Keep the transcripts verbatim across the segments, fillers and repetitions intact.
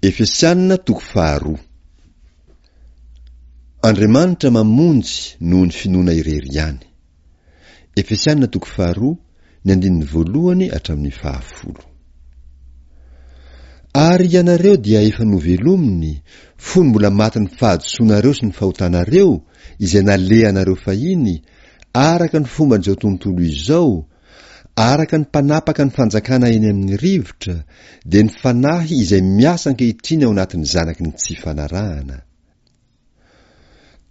Efesianina toko faharoa. Andriamanitra mamonjy noho ny finoana irery ihany. Efesianina toko faharoa, ny andininy voalohany hatramin'ny fahafolo. Ary ianareo dia efa novelominy, fony mbola matin'ny fahadisoanareo sy ny fahotanareo, izay nalehanareo fahiny, araka ny fomban'izao tontolo izao, araka ny mpanapaka ny fanjakana eny amin'ny rivotra, dia ny fanahy izay miasa ankehitriny ao anatin'ny zanaky ny tsy fanarahana.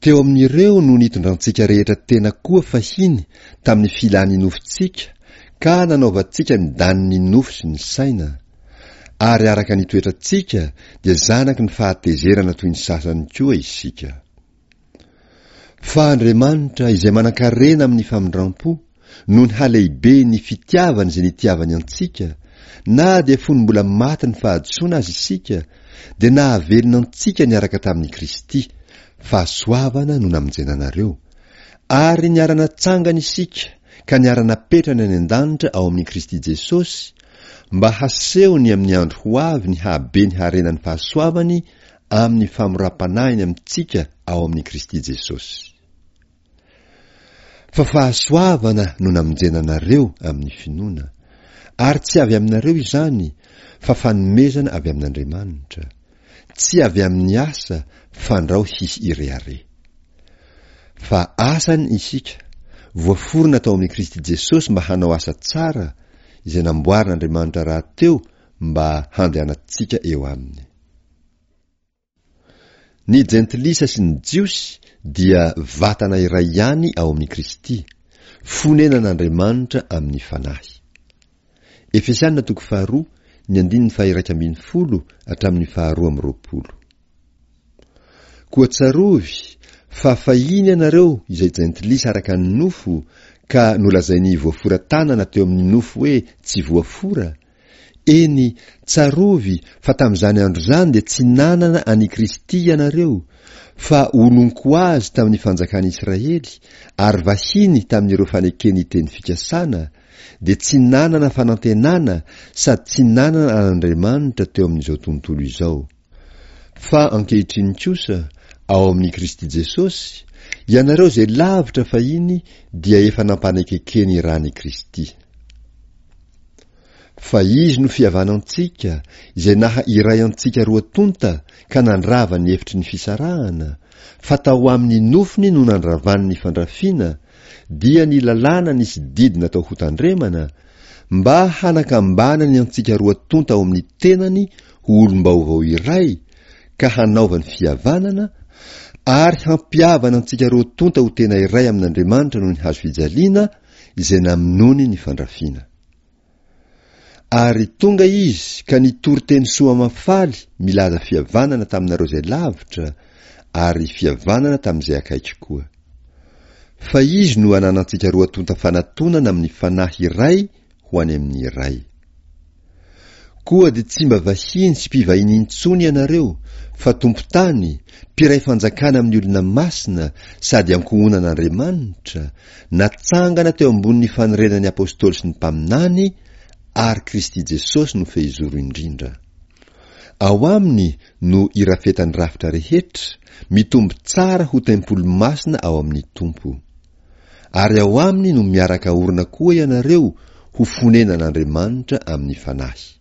Teo amin'ireo no nitondrantsika rehetra tena koa fahiny tamin'ny filan'ny nofontsika ka nanaovantsika ny danin'ny nofo sy ny saina. Ary araka ny toetrantsika dia zanaky ny fahatezerana toy ny sasany koa isika. Fa Andriamanitra izay manan-karena amin'ny famindram-po, noho ny halehiben'ny fitiavany izay nitiavany antsika, na dia fony mbola maty ny fahadisoana aza isika, dia nahavelona antsika niaraka tamin'i Kristy, fahasoavana no namonjena anareo, ary niara-natsangana isika ka niara-napetrany any an-danitra ao amin'i Kristy Jesosy, mba hasehony amin'ny andro ho avy ny hahabe ny harenan'ny fahasoavany amin'ny famoram-panahiny amintsika ao amin'i Kristy Jesosy. Fa fahasoavana no namonjena anareo amin'ny finoana, ary tsy avy aminareo izany, fa fanomezana avy amin'Andriamanitra, tsy avy amin'ny asa fandrao hisy irehareha. Fa asany isika, voaforona tao amin'i Kristy Jesosy mba hanao asa tsara, izay namboarin'Andriamanitra rahateo mba handehanantsika eo aminy. Ny jentilisa sy ny Jiosy dia vatana iray ihany ao amin'i Kristy, fonenan'Andriamanitra amin'ny Fanahy. Efesianina toko faharoa, ny andininy faha-iraika ambin'ny folo hatramin'ny faharoa amby roapolo. Koa tsarovy fa fahiny ianareo izay jentilisa araka ny nofo ka nolazain'ny voafora tanana teo amin'ny nofo hoe tsy voafora, Eny, tsarovy fa tamin'izany andro izany dia tsy nanana an'i Kristy ianareo, fa olon-ko azy tamin'ny fanjakan'Israely ary vahiny tamin'ireo faneken'ny teny fikasana, dia tsy nanana fanantenana sady tsy nanana an'Andriamanitra teo amin'izao tontolo izao. Fa ankehitriny kosa, ao amin'i Kristy Jesosy, ianareo izay lavitra fahiny dia efa nampanekekeny ran'i Kristy. Fa Izy no fihavanantsika, izay naha iray antsika roa tonta ka nandrava ny efitry ny fisarahana, fa tao amin'ny nofony no nandravany ny fandrafiana, dia ny lalàna nisy didy natao hotandremana, mba hanakambanany antsika roa tonta ao amin'ny tenany ho olom-baovao iray, ka hanaovany fihavanana, ary hampihavana antsika roa tonta ho tena iray amin'Andriamanitra noho ny hazo fijaliana, izay namonoany ny fandrafiana. Ary tonga izy ka nitory teny soa mahafaly milaza fihavanana taminareo izay lavitra, ary fihavanana tamin'izay akaiky koa. Fa izy no ananantsika roa tonta fanatonana amin'ny fanahy iray ho any amin'ny Ray. Koa dia tsy mba vahiny sy mpivahiny intsony ianareo, fa tompon-tany, mpiray fanjakana amin'ny olona masina sady ankohonan'Andriamanitra, natsangana teo ambonin'ny fanorenan'ny apostoly sy ny mpaminany, ary Kristy Jesosy no fehizoro indrindra. Ao aminy no irafetan'ny rafitra rehetra, mitombo tsara ho tempoly masina ao amin'ny Tompo. Ary ao aminy no miaraka orina koa ianareo ho fonenan'Andriamanitra amin'ny Fanahy.